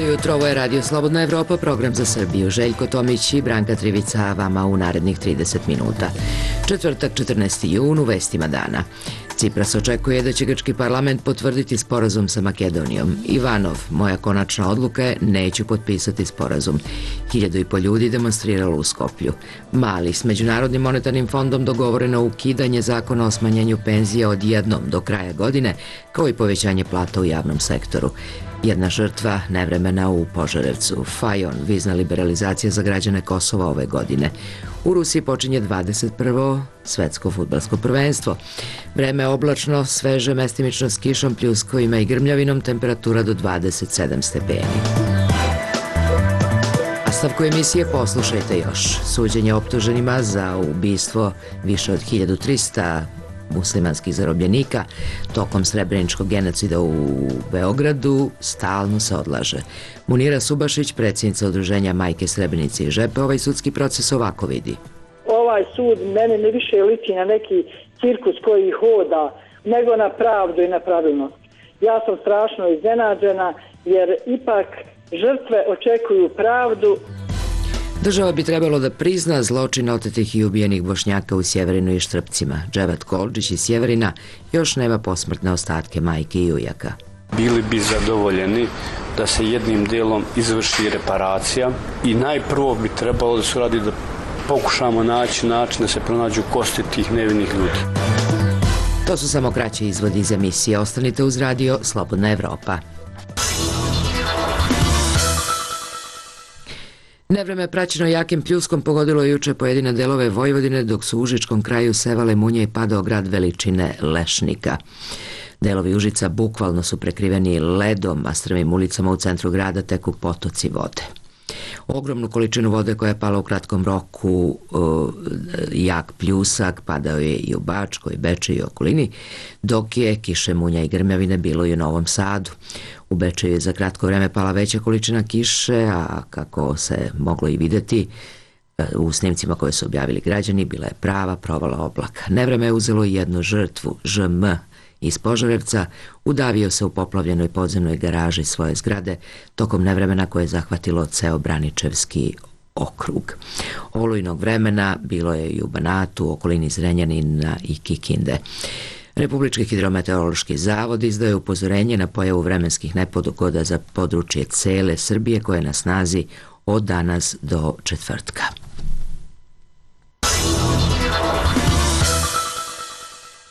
Dobro jutro, ovo je Radio Slobodna Evropa, program za Srbiju. Željko Tomić i Branka Trivica vama u narednih 30 minuta. Četvrtak, 14. jun, u vestima dana. Cipras očekuje da će grčki parlament potvrditi sporazum sa Makedonijom. Ivanov, moja konačna odluka je, neću potpisati sporazum. 1.500 ljudi demonstriralo u Skoplju. Mali, s Međunarodnim monetarnim fondom dogovoreno ukidanje zakona o smanjenju penzija odjednom do kraja godine, kao i povećanje plata u javnom sektoru. Jedna žrtva nevremena u Požarevcu. Fajon, vizna liberalizacija za građane Kosova ove godine. U Rusiji počinje 21. svetsko fudbalsko prvenstvo. Vreme je oblačno, sveže, mestimično s kišom, pljuskovima i grmljavinom, temperatura do 27 stepeni. Nastavku emisije poslušajte još. Suđenje optuženima za ubistvo više od 1300 muslimanskih zarobljenika tokom srebreničkog genocida u Beogradu stalno se odlaže. Munira Subašić, predsjednica udruženja Majke Srebrenice i Žepe, ovaj sudski proces ovako vidi. Ovaj sud mene ne više liči na neki cirkus koji hoda, nego na pravdu i na pravilnost. Ja sam strašno iznenađena jer ipak žrtve očekuju pravdu. Država bi trebalo da prizna zločin otetih i ubijenih Bošnjaka u Sjeverinu i Štrpcima. Dževat Kolčić iz Sjeverina još nema posmrtne ostatke majke i ujaka. Bili bi zadovoljeni da se jednim delom izvrši reparacija i najprvo bi trebalo da se radi da pokušamo naći način da se pronađu kosti tih nevinih ljudi. To su samo kraći izvodi iz emisije. Ostanite uz Radio Slobodna Evropa. Nevreme praćeno jakim pljuskom pogodilo je juče pojedine delove Vojvodine, dok su u užičkom kraju sevale munje i padao grad veličine Lešnika. Delovi Užica bukvalno su prekriveni ledom, a strmim ulicama u centru grada teku potoci vode. Ogromnu količinu vode koja je pala u kratkom roku, jak pljusak, padao je i u Bačkoj, Bečeju i okolini, dok je kiše, munja i grmljavine bilo i u Novom Sadu. U Bečeju je za kratko vreme pala veća količina kiše, a kako se moglo i vidjeti u snimcima koje su objavili građani, bila je prava provala oblaka. Nevreme je uzelo i jednu žrtvu, ŽM, iz Požarevca, udavio se u poplavljenoj podzemnoj garaži svoje zgrade tokom nevremena koje je zahvatilo ceo Braničevski okrug. Olujnog vremena bilo je i u Banatu, okolini Zrenjanina i Kikinde. Republički hidrometeorološki zavod izdaje upozorenje na pojavu vremenskih nepogoda za područje cele Srbije koje je na snazi od danas do četvrtka.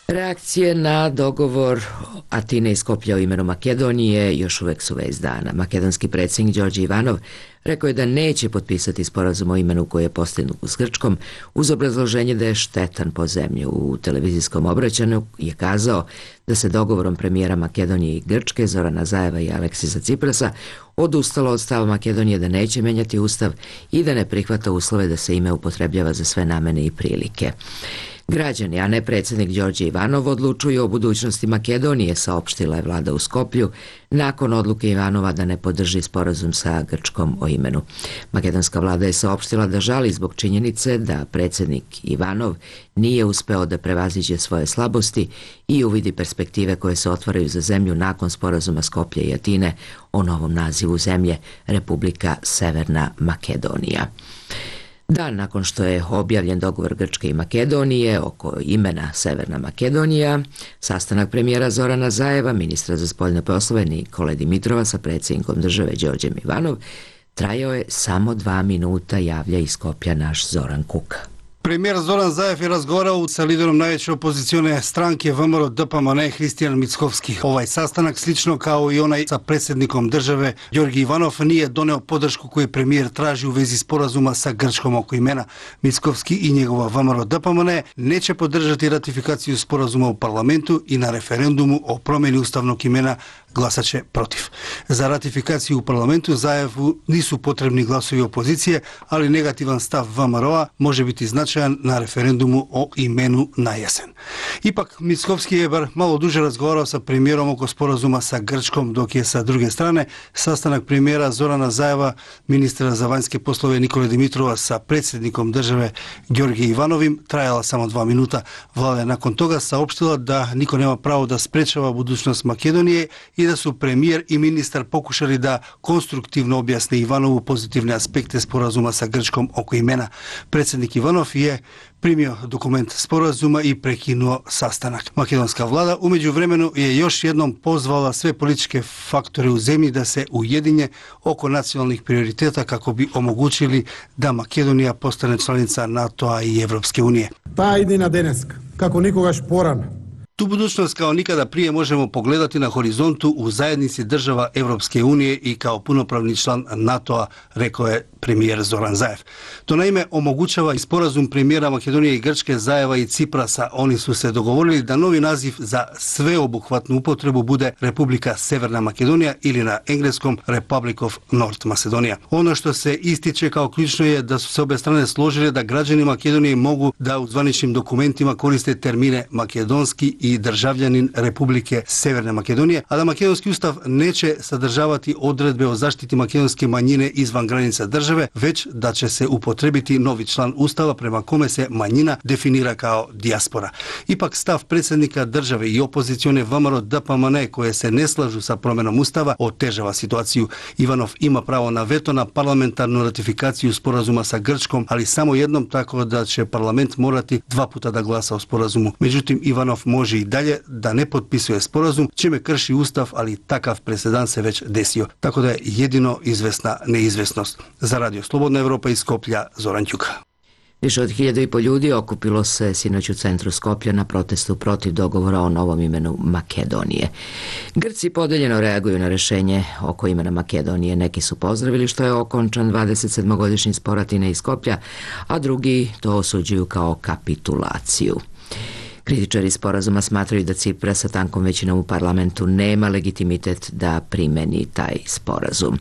Reakcije na dogovor Atine i Skoplja o imenu Makedonije još uvek su vest dana. Makedonski predsjednik Đorđe Ivanov rekao je da neće potpisati sporazum o imenu koji je postignut s Grčkom uz obrazloženje da je štetan po zemlju. U televizijskom obraćanju je kazao da se dogovorom premijera Makedonije i Grčke, Zorana Zajeva i Aleksisa Ciprasa, odustalo od stava Makedonije da neće menjati ustav i da ne prihvata uslove da se ime upotrebljava za sve namene i prilike. Građani, a ne predsjednik Đorđe Ivanov, odlučuju o budućnosti Makedonije, saopštila je vlada u Skoplju, nakon odluke Ivanova da ne podrži sporazum sa Grčkom o imenu. Makedonska vlada je saopštila da žali zbog činjenice da predsjednik Ivanov nije uspeo da prevaziđe svoje slabosti i uvidi perspektive koje se otvaraju za zemlju nakon sporazuma Skoplja i Atine o novom nazivu zemlje, Republika Severna Makedonija. Dan nakon što je objavljen dogovor Grčke i Makedonije oko imena Severna Makedonija, sastanak premijera Zorana Zajeva, ministra za spoljne poslove Nikole Dimitrova sa predsjednikom države Đorđem Ivanov, trajao je samo 2 minuta, javlja iz Skopja naš Zoran Kuka. Premijer Zoran Zajev je razgovarao sa liderom najveće opozicione stranke VMRO DPMNE Hristijan Mickovski. Ovaj sastanak, slično kao i onaj sa predsjednikom države Đorđe Ivanov, nije doneo podršku koju premijer traži u vezi sporazuma sa Grčkom oko imena. Mickovski i njegova VMRO DPMNE neće podržati ratifikaciju sporazuma u parlamentu i na referendumu o promjeni ustavnog imena glasat će protiv. Za ratifikaciju u parlamentu Zajevu nisu potrebni glasovi opozicije, ali negativan stav VMRO-a može biti značajan na referendumu o imenu na jesen. Ipak, Mickovski je bar malo duže razgovarao sa premijerom oko sporazuma sa Grčkom, dok je sa druge strane sastanak premijera Zorana Zajeva, ministra za vanjske poslove Nikole Dimitrova sa predsjednikom države Đorđe Ivanovim trajala samo 2 minuta. Vlada je nakon toga saopštila da niko nema pravo da sprečava budućnost Makedonije i da su premijer i ministar pokušali da konstruktivno objasne Ivanovu pozitivne aspekte sporazuma sa Grčkom oko imena. Predsjednik Ivanov je primio dokument sporazuma i prekinuo sastanak. Makedonska vlada u međuvremenu je još jednom pozvala sve političke faktore u zemlji da se ujedinje oko nacionalnih prioriteta kako bi omogućili da Makedonija postane članica NATO-a i Evropske unije. Ta jedina deneska, kako nikogaš porano. Tu budućnost kao nikada prije možemo pogledati na horizontu u zajednici država Evropske unije i kao punopravni član NATO-a, rekao je premijer Zoran Zaev. To naime omogućava i sporazum premijera Makedonije i Grčke, Zaeva i Ciprasa. Oni su se dogovorili da novi naziv za sveobuhvatnu upotrebu bude Republika Severna Makedonija ili na engleskom Republic of North Macedonia. Ono što se ističe kao ključno je da su se obe strane složile da građani Makedonije mogu da u zvaničnim dokumentima koriste termine makedonski i državljanin Republike Severne Makedonije, a da makedonski ustav neće sadržavati odredbe o zaštiti makedonske manjine izvan granica države, već da će se upotrebiti novi član ustava prema kome se manjina definira kao dijaspora. Ipak stav predsjednika države i opozicione VMRO DPMNE koje se ne slažu sa promjenom ustava otežava situaciju. Ivanov ima pravo na veto na parlamentarnu ratifikaciju sporazuma sa Grčkom, ali samo jednom, tako da će parlament morati 2 puta da glasa o sporazumu. Međutim, Ivanov može i dalje da ne potpisuje sporazum, čime krši ustav, ali takav presedan se već desio. Tako da je jedino izvesna neizvesnost. Za Radio Slobodna Evropa iz Skoplja, Zoran Ćuka. Više od 1.500 ljudi okupilo se sinoć u centru Skoplja na protestu protiv dogovora o novom imenu Makedonije. Grci podeljeno reaguju na rješenje oko imena Makedonije. Neki su pozdravili što je okončan 27-godišnji spor Atine i Skoplja, a drugi to osuđuju kao kapitulaciju. Kritičari sporazuma smatraju da Cipras sa tankom većinom u parlamentu nema legitimitet da primeni taj sporazum.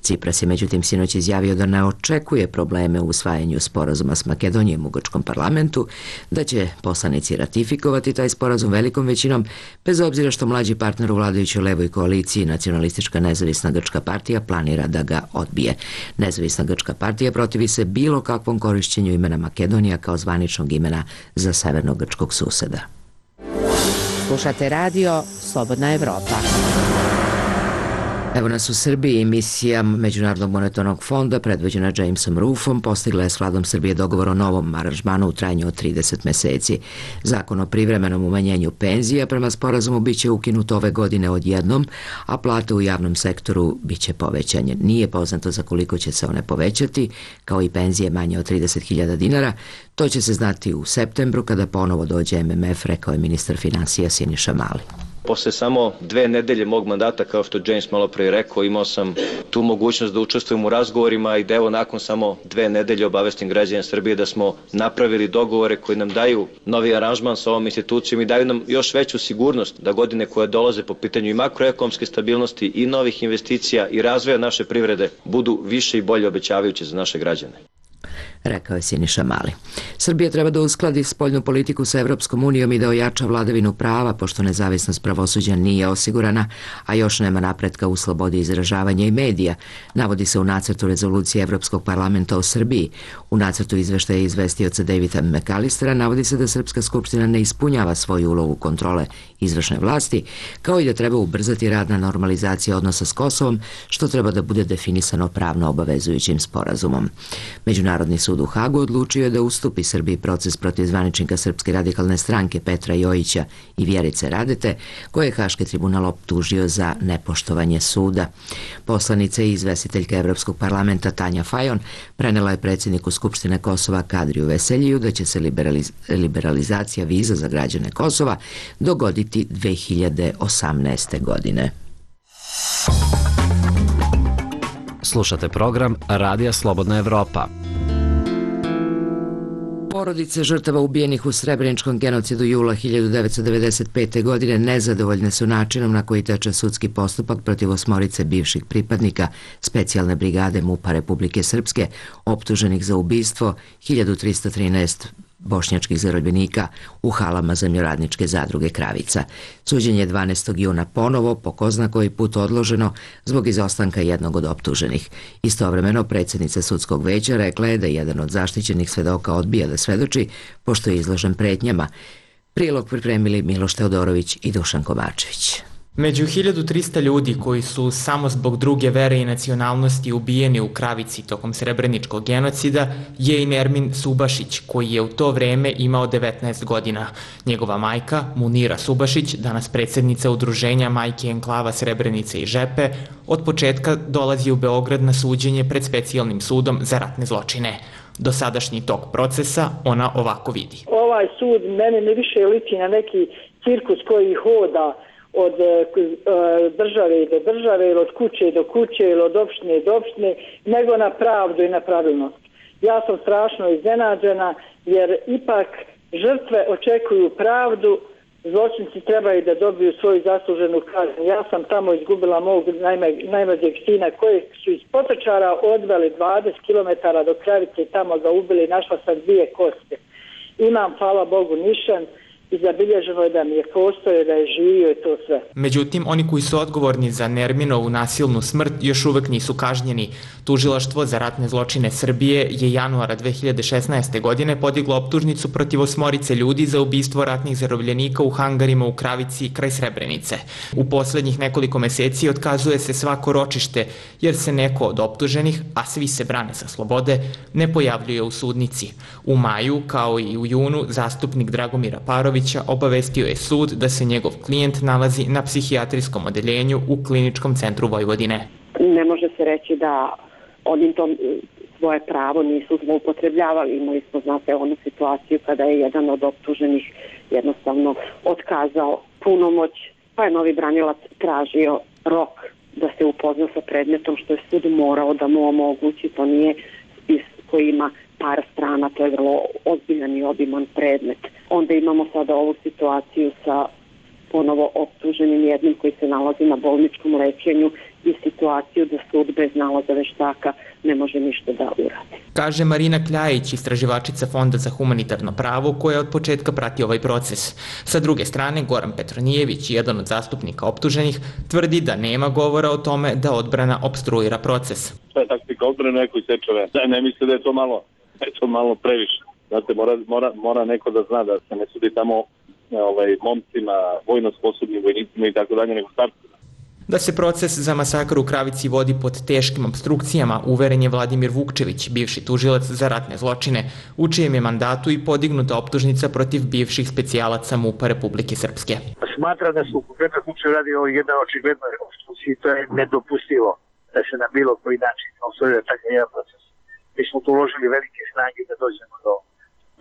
Cipras je međutim sinoć izjavio da ne očekuje probleme u usvajanju sporazuma s Makedonijom u grčkom parlamentu, da će poslanici ratifikovati taj sporazum velikom većinom, bez obzira što mlađi partner u vladajućoj levoj koaliciji, Nacionalistička nezavisna grčka partija, planira da ga odbije. Nezavisna grčka partija protivi se bilo kakvom korišćenju imena Makedonija kao zvaničnog imena za severnog grčkog suseda. Slušate radio Slobodna Evropa. Evo nas u Srbiji. Misija Međunarodnog monetarnog fonda predvođena Jamesom Roofom postigla je s vladom Srbije dogovor o novom aranžmanu u trajanju od 30 meseci. Zakon o privremenom umanjenju penzija prema sporazumu biće ukinut ove godine odjednom, a plate u javnom sektoru biće povećanje. Nije poznato za koliko će se one povećati, kao i penzije manje od 30.000 dinara. To će se znati u septembru kada ponovo dođe MMF, rekao je ministar finansija Siniša Mali. Posle samo 2 nedelje mog mandata, kao što James malo pre rekao, imao sam tu mogućnost da učestvujem u razgovorima i da evo nakon samo 2 nedelje obavestim građane Srbije da smo napravili dogovore koji nam daju novi aranžman sa ovom institucijom i daju nam još veću sigurnost da godine koje dolaze po pitanju i makroekonomske stabilnosti i novih investicija i razvoja naše privrede budu više i bolje obećavajuće za naše građane. Rekao je Siniša Mali. Srbija treba da uskladi spoljnu politiku sa Evropskom unijom i da ojača vladavinu prava, pošto nezavisnost pravosuđa nije osigurana, a još nema napretka u slobodi izražavanja i medija, navodi se u nacrtu rezolucije Evropskog parlamenta o Srbiji. U nacrtu izveštaja izvestioca Davida McAllistera navodi se da Srpska skupština ne ispunjava svoju ulogu kontrole izvršne vlasti, kao i da treba ubrzati rad na normalizaciji odnosa s Kosovom, što treba da bude definisano pravno obavezujućim sporazumom. Međunarodni sud u Hagu odlučio je da ustupi Srbiji proces protiv zvaničnika Srpske radikalne stranke Petra Jojića i Vjerice Radete, koje je Haški tribunal optužio za nepoštovanje suda. Poslanica i izvestiteljka Evropskog parlamenta Tanja Fajon prenela je predsjedniku Skupštine Kosova Kadriju Veseljiju da će se liberalizacija viza za građane Kosova dogoditi 2018. godine. Slušate program Radija Slobodna Evropa. Porodice žrtava ubijenih u Srebreničkom genocidu jula 1995. godine nezadovoljne su načinom na koji teče sudski postupak protiv 8 bivših pripadnika specijalne brigade MUP-a Republike Srpske optuženih za ubistvo 1313 bošnjačkih zarobljenika u halama zemljoradničke zadruge Kravica. Suđenje 12. juna ponovo, po ko zna koji put odloženo, zbog izostanka jednog od optuženih. Istovremeno, predsjednica sudskog veća rekla je da jedan od zaštićenih svedoka odbija da svedoči, pošto je izložen pretnjama. Prilog pripremili Miloš Teodorović i Dušan Kovačević. Među 1300 ljudi koji su samo zbog druge vere i nacionalnosti ubijeni u Kravici tokom srebreničkog genocida je i Nermin Subašić, koji je u to vreme imao 19 godina. Njegova majka, Munira Subašić, danas predsjednica udruženja Majke enklava Srebrenice i Žepe, od početka dolazi u Beograd na suđenje pred specijalnim sudom za ratne zločine. Dosadašnji tok procesa ona ovako vidi. Ovaj sud mene ne više liči na neki cirkus koji hoda od države do države ili od kuće do kuće ili od opštine do opštine, nego na pravdu i na pravilnost. Ja sam strašno iznenađena jer ipak žrtve očekuju pravdu, zločinci trebaju da dobiju svoju zasluženu kaznu. Ja sam tamo izgubila mog najmlađeg sina kojeg su iz Potočara odveli 20 km do Kravice i tamo ga ubili, našla sam 2 koste. Imam, hvala Bogu, nišan i zabilježeno je da mi je postojao, da je živio i to sve. Međutim, oni koji su odgovorni za Nerminovu nasilnu smrt još uvek nisu kažnjeni. Tužilaštvo za ratne zločine Srbije je januara 2016. godine podiglo optužnicu protiv 8 ljudi za ubistvo ratnih zarobljenika u hangarima u Kravici kraj Srebrenice. U poslednjih nekoliko meseci otkazuje se svako ročište jer se neko od optuženih, a svi se brane sa slobode, ne pojavljuje u sudnici. U maju, kao i u junu, zastupnik Dragomira Parovića obavestio je sud da se njegov klijent nalazi na psihijatrijskom odeljenju u Kliničkom centru Vojvodine. Ne može se reći da oni to svoje pravo nisu zloupotrebljavali. Imali smo, znate, onu situaciju kada je jedan od optuženih jednostavno otkazao punomoć, pa je novi branilac tražio rok da se upozna sa predmetom, što je sud morao da mu omogući. To nije spis koji ima par strana, to je vrlo ozbiljan i obiman predmet. Onda imamo sada ovu situaciju sa ponovo optuženim jednim koji se nalazi na bolničkom lečenju i situaciju da sud bez nalaza veštaka ne može ništa da uradi. Kaže Marina Kljajić, istraživačica Fonda za humanitarno pravo, koja od početka prati ovaj proces. Sa druge strane, Goran Petronijević, jedan od zastupnika optuženih, tvrdi da nema govora o tome da odbrana opstruira proces. To je taktika odbrane, neko seče ven. Ne misle da je to malo previše. Znate, mora neko da zna da se ne sudi tamo momcima, vojno sposobnim vojnicima i tako dalje, nego starcima. Da se proces za masakr u Kravici vodi pod teškim obstrukcijama, uveren je Vladimir Vukčević, bivši tužilac za ratne zločine, u čijem je mandatu i podignuta optužnica protiv bivših specijalaca MUP-a Republike Srpske. Smatram da su konkretno Vukčević radi o jednoj očiglednoj opstrukciji, to je nedopustivo da se na bilo koji način obstruira takav jedan proces. Mi smo tu uložili velike snage da dođemo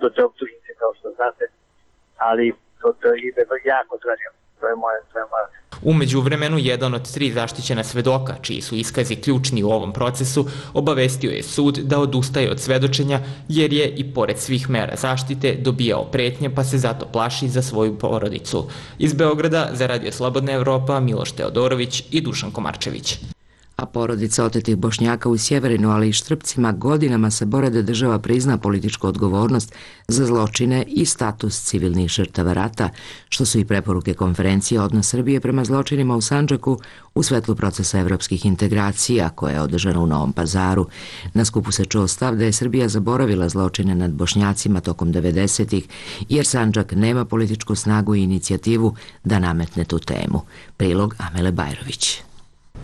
do te optužnice, kao što znate, ali to ide jako traženo. To je moja. U međuvremenu, jedan od 3 zaštićena svedoka, čiji su iskazi ključni u ovom procesu, obavestio je sud da odustaje od svedočenja jer je, i pored svih mera zaštite, dobijao pretnje pa se zato plaši za svoju porodicu. Iz Beograda za Radio Slobodna Evropa, Miloš Teodorović i Dušan Komarčević. A porodica otetih Bošnjaka u Sjeverinu, ali i Štrpcima, godinama se bore da država prizna političku odgovornost za zločine i status civilnih žrtava rata, što su i preporuke konferencije Odnos Srbije prema zločinima u Sandžaku u svetlu procesa evropskih integracija, koja je održana u Novom Pazaru. Na skupu se čuo stav da je Srbija zaboravila zločine nad Bošnjacima tokom 90-ih, jer Sandžak nema političku snagu i inicijativu da nametne tu temu. Prilog Amele Bajrović.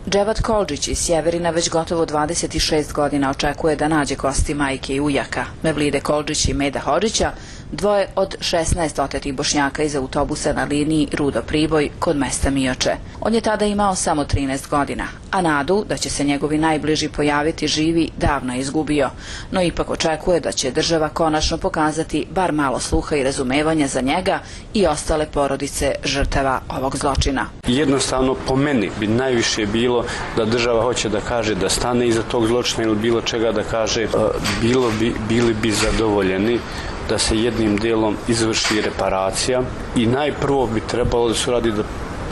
Dževat Koldžić iz Sjeverina već gotovo 26 godina očekuje da nađe kosti majke i ujaka, Mevlide Koldžić i Meda Hodžića, dvoje od 16 otetih Bošnjaka iz autobusa na liniji Rudo-Priboj kod mesta Mioče. On je tada imao samo 13 godina, a nadu da će se njegovi najbliži pojaviti živi davno je izgubio, no ipak očekuje da će država konačno pokazati bar malo sluha i razumevanja za njega i ostale porodice žrtava ovog zločina. Jednostavno, po meni bi najviše bilo da država hoće da kaže da stane iza tog zločina ili bilo čega da kaže, bili bi zadovoljeni da se jednim delom izvrši reparacija i najprvo bi trebalo da se radi da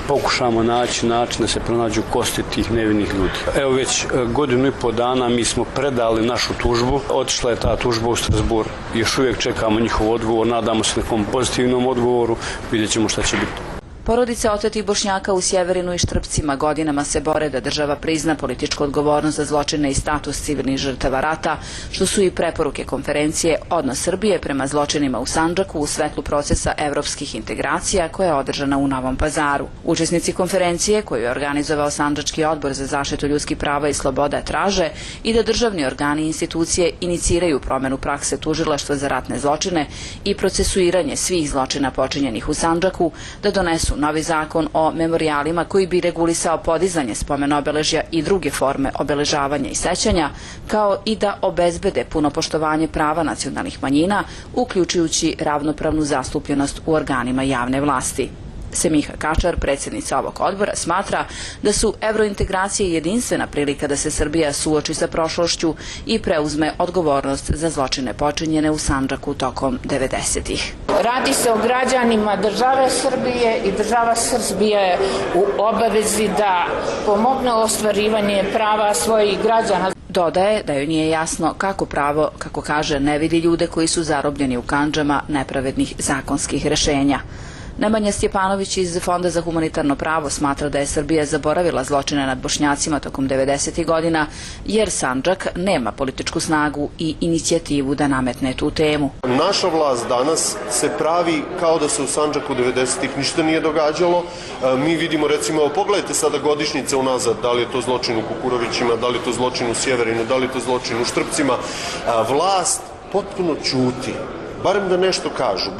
pokušamo naći način da se pronađu kosti tih nevinih ljudi. Evo već 1,5 godinu dana mi smo predali našu tužbu, otišla je ta tužba u Strasbourg, još uvijek čekamo njihov odgovor, nadamo se nekom pozitivnom odgovoru, vidjet ćemo šta će biti. Porodice otetih Bošnjaka u Sjeverinu i Štrpcima godinama se bore da država prizna političku odgovornost za zločine i status civilnih žrtava rata, što su i preporuke konferencije Odnos Srbije prema zločinima u Sandžaku u svetlu procesa evropskih integracija koja je održana u Novom Pazaru. Učesnici konferencije, koju je organizovao Sandžački odbor za zaštitu ljudskih prava i sloboda, traže i da državni organi i institucije iniciraju promenu prakse tužilaštva za ratne zločine i procesuiranje svih zločina počinjenih u Sandžaku, da donesu novi zakon o memorijalima koji bi regulisao podizanje spomen obeležja i druge forme obeležavanja i sećanja, kao i da obezbede puno poštovanje prava nacionalnih manjina, uključujući ravnopravnu zastupljenost u organima javne vlasti. Semiha Kačar, predsjednica ovog odbora, smatra da su evrointegracije jedinstvena prilika da se Srbija suoči sa prošlošću i preuzme odgovornost za zločine počinjene u Sandžaku tokom 90-ih. Radi se o građanima države Srbije i država Srbije je u obavezi da pomogne ostvarivanje prava svojih građana. Dodaje da joj nije jasno kako pravo, kako kaže, ne vidi ljude koji su zarobljeni u kandžama nepravednih zakonskih rešenja. Nemanja Stjepanović iz Fonda za humanitarno pravo smatra da je Srbija zaboravila zločine nad Bošnjacima tokom 90. godina, jer Sandžak nema političku snagu i inicijativu da nametne tu temu. Naša vlast danas se pravi kao da se u Sandžaku 90-ih ništa nije događalo. Mi vidimo, recimo, pogledajte sada godišnjice unazad, da li je to zločin u Kukurovićima, da li je to zločin u Sjeverinu, da li je to zločin u Štrpcima. Vlast potpuno ćuti. Barem da nešto kažu,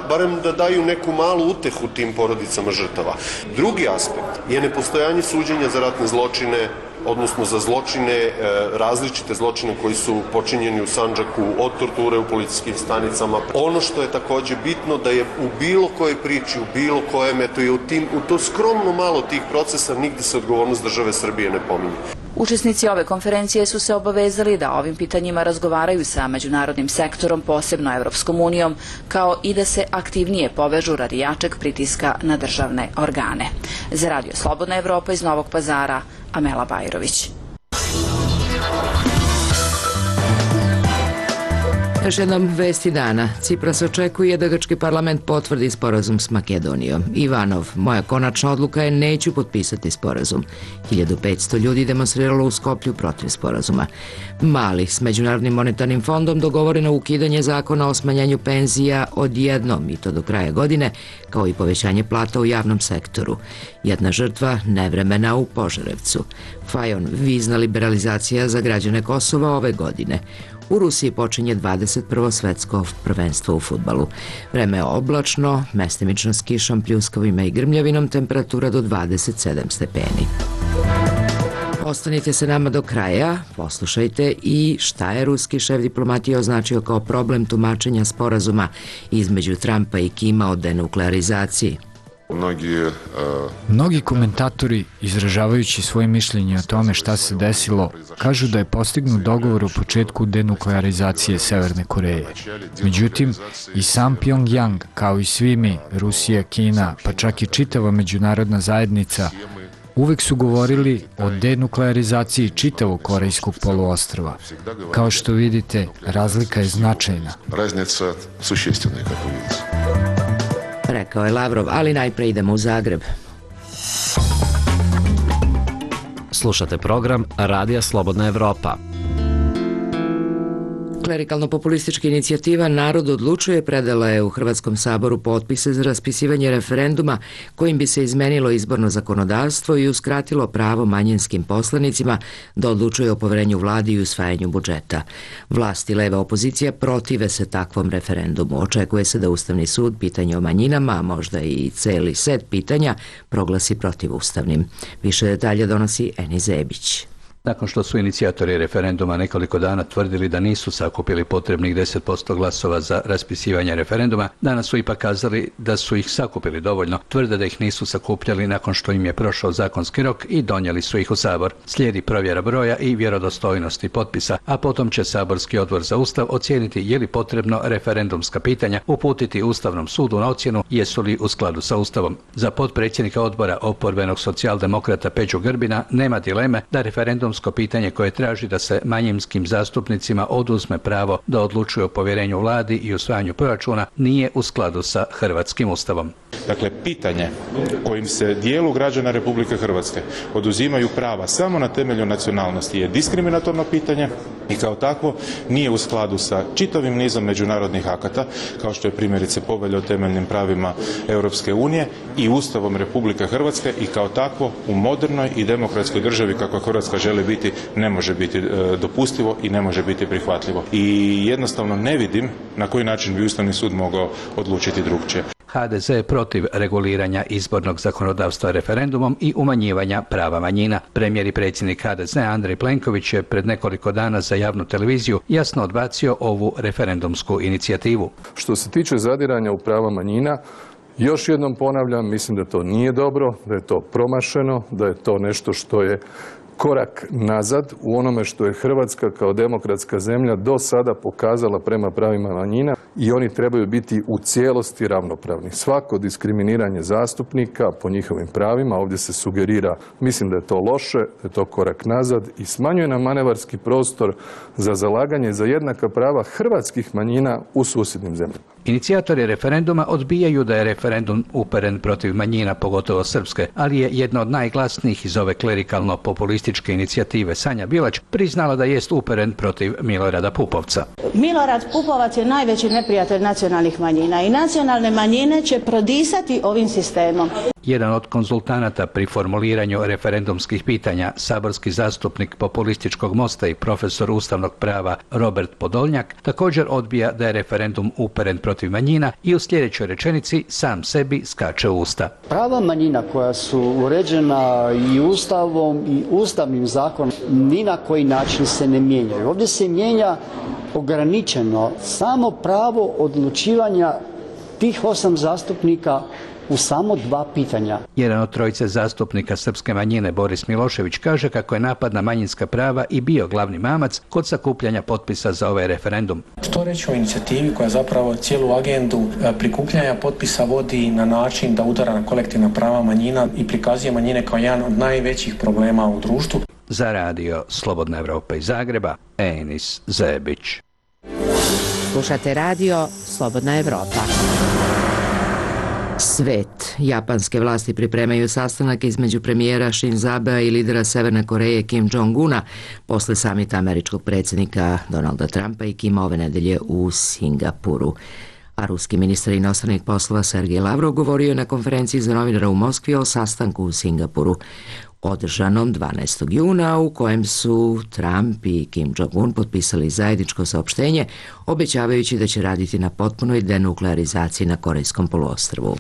barem da daju neku malu utehu tim porodicama žrtava. Drugi aspekt je nepostojanje suđenja za ratne zločine, odnosno za zločine, različite zločine koji su počinjeni u Sandžaku, od torture u policijskim stanicama. Ono što je takođe bitno da je u bilo kojoj priči, u bilo kojem, eto je u to skromno malo tih procesa nigde se odgovornost države Srbije ne pominje. Učesnici ove konferencije su se obavezali da ovim pitanjima razgovaraju sa međunarodnim sektorom, posebno Evropskom unijom, kao i da se aktivnije povežu radi jačeg pritiska na državne organe. Za Radio Slobodna Evropa iz Novog Pazara, Amela Bajrović. Još jednom vesti dana. Cipras očekuje da grčki parlament potvrdi sporazum s Makedonijom. Ivanov, moja konačna odluka je neću potpisati sporazum. 1500 ljudi demonstriralo u Skoplju protiv sporazuma. Mali, s Međunarodnim monetarnim fondom dogovoreno ukidanje zakona o smanjenju penzija odjednom i to do kraja godine, kao i povećanje plata u javnom sektoru. Jedna žrtva nevremena u Požarevcu. Fajon, vizna liberalizacija za građane Kosova ove godine. U Rusiji počinje 21. svetsko prvenstvo u fudbalu. Vreme je oblačno, mestimično s kišom, pljuskovima i grmljavinom, temperatura do 27 stepeni. Ostanite se nama do kraja, poslušajte i šta je ruski šef diplomatije označio kao problem tumačenja sporazuma između Trumpa i Kima o denuklearizaciji. Mnogi komentatori, izražavajući svoje mišljenje o tome šta se desilo, kažu da je postignut dogovor o početku denuklearizacije Severne Koreje. Međutim, i sam Pyongyang, kao i svi mi, Rusija, Kina, pa čak i čitava međunarodna zajednica, uvek su govorili o denuklearizaciji čitavog Korejskog poluostrva. Kao što vidite, razlika je značajna. Rekao je Lavrov, ali najpre idemo u Zagreb. Slušate program Radija Slobodna Evropa. Klerikalno-populistička inicijativa Narod odlučuje predala je u Hrvatskom saboru potpise za raspisivanje referenduma kojim bi se izmenilo izborno zakonodavstvo i uskratilo pravo manjinskim poslanicima da odlučuje o poverenju vladi i usvajanju budžeta. Vlast i leva opozicija protive se takvom referendumu. Očekuje se da Ustavni sud pitanje o manjinama, a možda i celi set pitanja, proglasi protivustavnim. Više detalja donosi Eni Zebić. Nakon što su inicijatori referenduma nekoliko dana tvrdili da nisu sakupili potrebnih 10% glasova za raspisivanje referenduma, danas su ipak kazali da su ih sakupili dovoljno, tvrde da ih nisu sakupljali nakon što im je prošao zakonski rok i donijeli su ih u Sabor. Slijedi provjera broja i vjerodostojnosti potpisa, a potom će Saborski odbor za Ustav ocijeniti je li potrebno referendumska pitanja uputiti Ustavnom sudu na ocjenu jesu li u skladu sa Ustavom. Za potpredsjednika odbora oporbenog socijaldemokrata Peđu Grbina nema dileme da referendum referendumsko pitanje koje traži da se manjinskim zastupnicima oduzme pravo da odlučuju o povjerenju vladi i usvajanju proračuna nije u skladu sa hrvatskim ustavom. Dakle, pitanje kojim se dijelu građana Republike Hrvatske oduzimaju prava samo na temelju nacionalnosti je diskriminatorno pitanje i kao takvo nije u skladu sa čitavim nizom međunarodnih akata, kao što je primjerice Povelja o temeljnim pravima Europske unije i Ustavom Republike Hrvatske i kao takvo u modernoj i demokratskoj državi kakva Hrvatska želi biti ne može biti dopustivo i ne može biti prihvatljivo. I jednostavno ne vidim na koji način bi Ustavni sud mogao odlučiti drukčije. HDZ je protiv reguliranja izbornog zakonodavstva referendumom i umanjivanja prava manjina. Premijer i predsjednik HDZ Andrej Plenković je pred nekoliko dana za javnu televiziju jasno odbacio ovu referendumsku inicijativu. Što se tiče zadiranja u prava manjina, još jednom ponavljam, mislim da to nije dobro, da je to promašeno, da je to nešto što je korak nazad u onome što je Hrvatska kao demokratska zemlja do sada pokazala prema pravima manjina i oni trebaju biti u cijelosti ravnopravni. Svako diskriminiranje zastupnika po njihovim pravima ovdje se sugerira, mislim da je to loše, da je to korak nazad i smanjuje nam manevarski prostor za zalaganje za jednaka prava hrvatskih manjina u susjednim zemljama. Inicijatori referenduma odbijaju da je referendum uperen protiv manjina, pogotovo srpske, ali je jedna od najglasnijih iz ove klerikalno-populističke inicijative Sanja Bilać priznala da jest uperen protiv Milorada Pupovca. Milorad Pupovac je najveći neprijatelj nacionalnih manjina i nacionalne manjine će prodisati ovim sistemom. Jedan od konzultanata pri formuliranju referendumskih pitanja, saborski zastupnik populističkog Mosta i profesor ustavnog prava Robert Podolnjak, također odbija da je referendum uperen protiv manjina i u sljedećoj rečenici sam sebi skače u usta. Prava manjina koja su uređena i Ustavom i Ustavnim zakonom ni na koji način se ne mijenjaju. Ovdje se mijenja ograničeno samo pravo odlučivanja tih 8 zastupnika u samo 2 pitanja. Jedan od trojice zastupnika srpske manjine, Boris Milošević, kaže kako je napad na manjinska prava i bio glavni mamac kod sakupljanja potpisa za ovaj referendum. Što reći o inicijativi koja zapravo cijelu agendu prikupljanja potpisa vodi na način da udara na kolektivna prava manjina i prikazuje manjine kao jedan od najvećih problema u društvu. Za radio Slobodna Evropa iz Zagreba, Enis Zebić. Slušate radio Slobodna Evropa. Svet. Japanske vlasti pripremaju sastanak između premijera Shinzo Abea i lidera Severne Koreje Kim Jong-una posle samita američkog predsjednika Donalda Trumpa i Kima ove nedelje u Singapuru. A ruski ministar inostranih poslova Sergej Lavrov govorio je na konferenciji za novinara u Moskvi o sastanku u Singapuru održanom 12. juna u kojem su Trump i Kim Jong-un potpisali zajedničko saopštenje obećavajući da će raditi na potpunoj denuklearizaciji na Korejskom poluostrvu.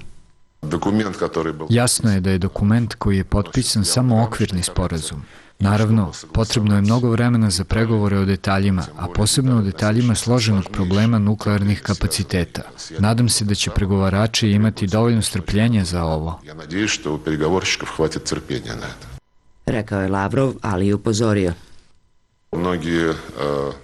Jasno je da je dokument koji je potpisan samo okvirni sporazum. Naravno, potrebno je mnogo vremena za pregovore o detaljima, a posebno o detaljima složenog problema nuklearnih kapaciteta. Nadam se da će pregovarači imati dovoljno strpljenja za ovo. Rekao je Lavrov, ali i upozorio.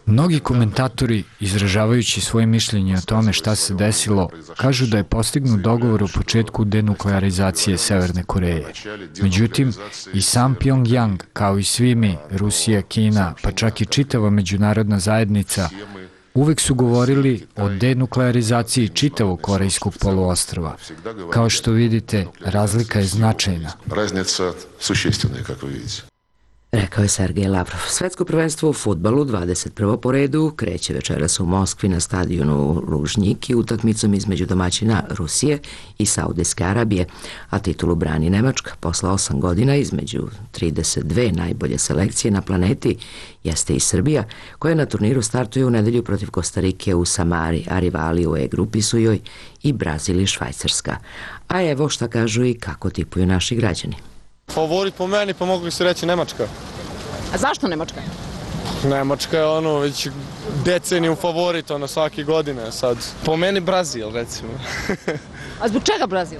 Mnogi komentatori, izražavajući svoje mišljenje o tome šta se desilo, kažu da je postignut dogovor o početku denuklearizacije Severne Koreje. Međutim, i sam Pyongyang, kao i svi mi, Rusija, Kina, pa čak i čitava međunarodna zajednica, uvek su govorili o denuklearizaciji čitavog Korejskog poluostrva. Kao što vidite, razlika je značajna. Rekao je Sergej Lavrov. Svetsko prvenstvo u fudbalu 21. po redu kreće večeras u Moskvi na stadionu Lužnjiki utakmicom između domaćina Rusije i Saudijske Arabije, a titulu brani Nemačka. Posle 8 godina između 32 najbolje selekcije na planeti jeste i Srbija, koja na turniru startuje u nedelju protiv Kostarike u Samari, a rivali u E-grupi su joj i Brazil i Švajcarska. A evo šta kažu i kako tipuju naši građani. Favorit po meni, pa mogu se reći Nemačka. A zašto Nemačka? Nemačka je već deceniju favorit, svake godine sad. Po meni Brazil, recimo. A zbog čega Brazil?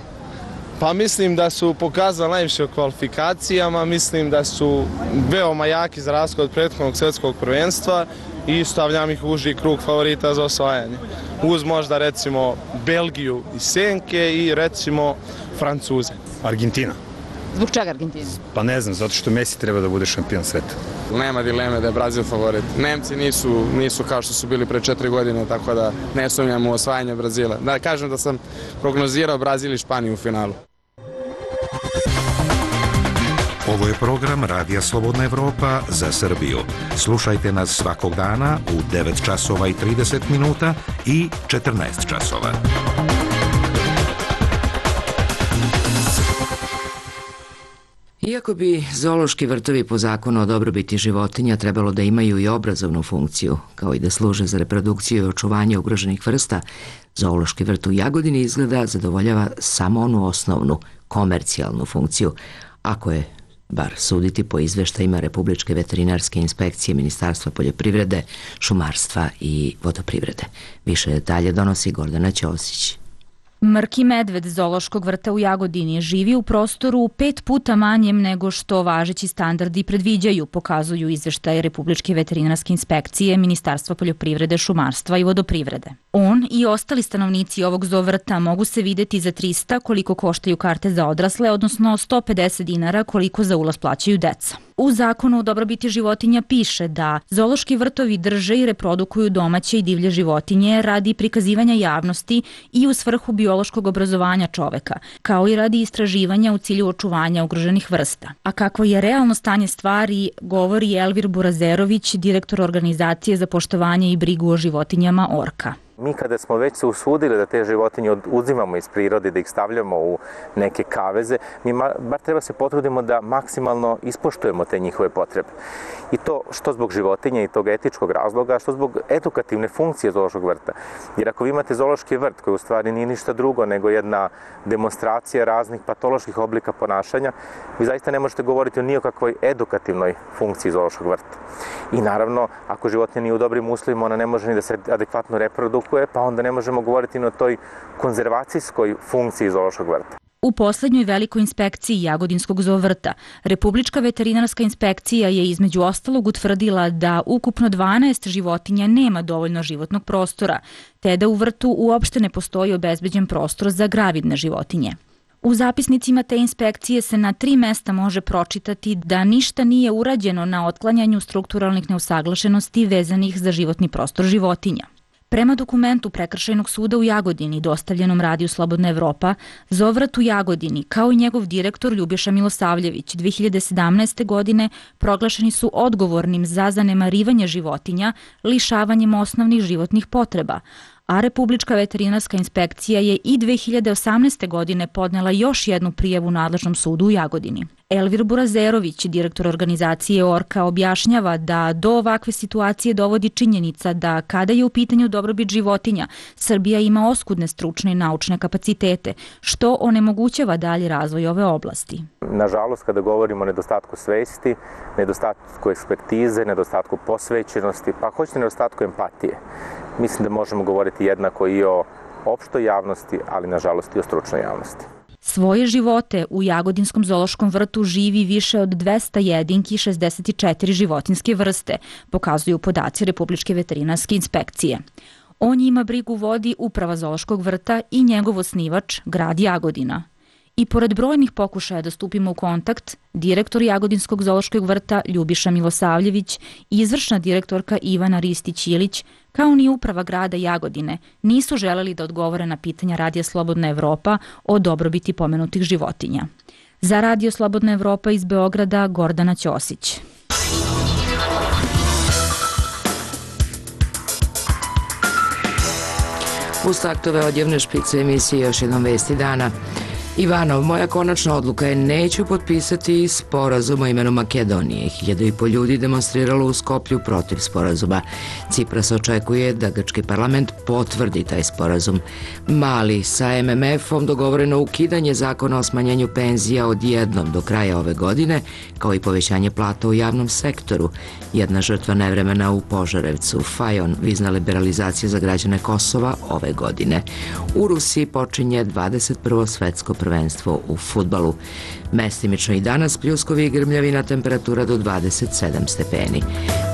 Pa mislim da su pokazali najviše u kvalifikacijama, mislim da su veoma jaki za razliku od prethodnog svjetskog prvenstva i stavljam ih u uži krug favorita za osvajanje. Uz možda recimo Belgiju i Senke i recimo Francuze. Argentina. Zbog čega Argentina? Pa ne znam, zato što Messi treba da bude šampion sveta. Nema dileme da je Brazil favorit. Nemci nisu kao što su bili pre 4 godine, tako da ne sumnjam u osvajanje Brazila. Da kažem da sam prognozirao Brazil i Španiju u finalu. Ovo je program Radija Slobodna Evropa za Srbiju. Slušajte nas svakog dana u 9 časova i 30 minuta i 14 časova. Iako bi zoološki vrtovi po zakonu o dobrobiti životinja trebalo da imaju i obrazovnu funkciju, kao i da služe za reprodukciju i očuvanje ugroženih vrsta, zoološki vrt u Jagodini izgleda zadovoljava samo onu osnovnu, komercijalnu funkciju, ako je bar suditi po izveštajima Republičke veterinarske inspekcije Ministarstva poljoprivrede, šumarstva i vodoprivrede. Više detalje donosi Gordana Ćosić. Mrki medved zoološkog vrta u Jagodini živi u prostoru 5 puta manjem nego što važeći standardi predviđaju, pokazuju izveštaje Republičke veterinarske inspekcije Ministarstva poljoprivrede, šumarstva i vodoprivrede. On i ostali stanovnici ovog zoovrta mogu se videti za 300 koliko koštaju karte za odrasle, odnosno 150 dinara koliko za ulaz plaćaju deca. U zakonu o dobrobiti životinja piše da zoološki vrtovi drže i reprodukuju domaće i divlje životinje radi prikazivanja javnosti i u svrhu biološkog obrazovanja čoveka, kao i radi istraživanja u cilju očuvanja ugroženih vrsta. A kakvo je realno stanje stvari, govori Elvir Burazerović, direktor organizacije za poštovanje i brigu o životinjama Orka. Mi kada smo već se usudili da te životinje uzimamo iz prirode, da ih stavljamo u neke kaveze, mi bar treba se potrudimo da maksimalno ispoštujemo te njihove potrebe. I to što zbog životinja i tog etičkog razloga, što zbog edukativne funkcije zoološkog vrta. Jer ako vi imate zoološki vrt koji u stvari nije ništa drugo nego jedna demonstracija raznih patoloških oblika ponašanja, vi zaista ne možete govoriti o nijekakvoj edukativnoj funkciji zoološkog vrta. I naravno, ako životinja nije u dobrim uslovima, ona ne može ni da se adekvatno reprodukuje, pa onda ne možemo govoriti ni o toj konzervacijskoj funkciji zoološkog vrta. U poslednjoj velikoj inspekciji Jagodinskog zoovrta, Republička veterinarska inspekcija je između ostalog utvrdila da ukupno 12 životinja nema dovoljno životnog prostora, te da u vrtu uopšte ne postoji obezbeđen prostor za gravidne životinje. U zapisnicima te inspekcije se na 3 mesta može pročitati da ništa nije urađeno na otklanjanju strukturalnih neusaglašenosti vezanih za životni prostor životinja. Prema dokumentu Prekršajnog suda u Jagodini, dostavljenom Radiju Slobodna Evropa, zoovrt u Jagodini, kao i njegov direktor Ljubiša Milosavljević, 2017. godine proglašeni su odgovornim za zanemarivanje životinja, lišavanjem osnovnih životnih potreba, a Republička veterinarska inspekcija je i 2018. godine podnela još jednu prijavu nadležnom sudu u Jagodini. Elvir Burazerović, direktor organizacije Orka, objašnjava da do ovakve situacije dovodi činjenica da kada je u pitanju dobrobit životinja, Srbija ima oskudne stručne i naučne kapacitete, što onemogućava dalji razvoj ove oblasti. Nažalost, kada govorimo o nedostatku svesti, nedostatku ekspertize, nedostatku posvećenosti, pa hoćete nedostatku empatije, mislim da možemo govoriti jednako i o opštoj javnosti, ali nažalost i o stručnoj javnosti. Svoje živote u Jagodinskom zoološkom vrtu živi više od 200 jedinki i 64 životinjske vrste, pokazuju podaci Republičke veterinarske inspekcije. O njima brigu vodi Uprava zoološkog vrta i njegov osnivač, grad Jagodina. I pored brojnih pokušaja da stupimo u kontakt, direktor Jagodinskog zoološkog vrta Ljubiša Milosavljević i izvršna direktorka Ivana Ristić-Ilić, kao ni uprava grada Jagodine, nisu želeli da odgovore na pitanja Radija Slobodna Evropa o dobrobiti pomenutih životinja. Za Radio Slobodna Evropa iz Beograda, Gordana Ćosić. Uz taktove odjevne špice emisije još jednom vesti dana. Ivanov, moja konačna odluka je neću potpisati sporazum o imenu Makedonije. 1500 ljudi demonstriralo u Skoplju protiv sporazuma. Cipras očekuje da grčki parlament potvrdi taj sporazum. Mali, sa MMF-om dogovoreno ukidanje zakona o smanjenju penzija odjednom do kraja ove godine, kao i povećanje plata u javnom sektoru. Jedna žrtva nevremena u Požarevcu, Fajon, vizna liberalizacija za građane Kosova ove godine. U Rusiji počinje 21. svetsko prvenstvo u fudbalu. Mestimično i danas pljuskovi i grmljavina, temperatura do 27 stepeni.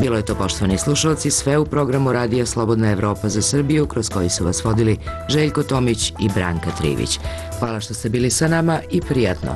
Bilo je to, poštovani slušalci, sve u programu Radija Slobodna Evropa za Srbiju, kroz koji su vas vodili Željko Tomić i Branka Trivić. Hvala što ste bili sa nama i prijatno.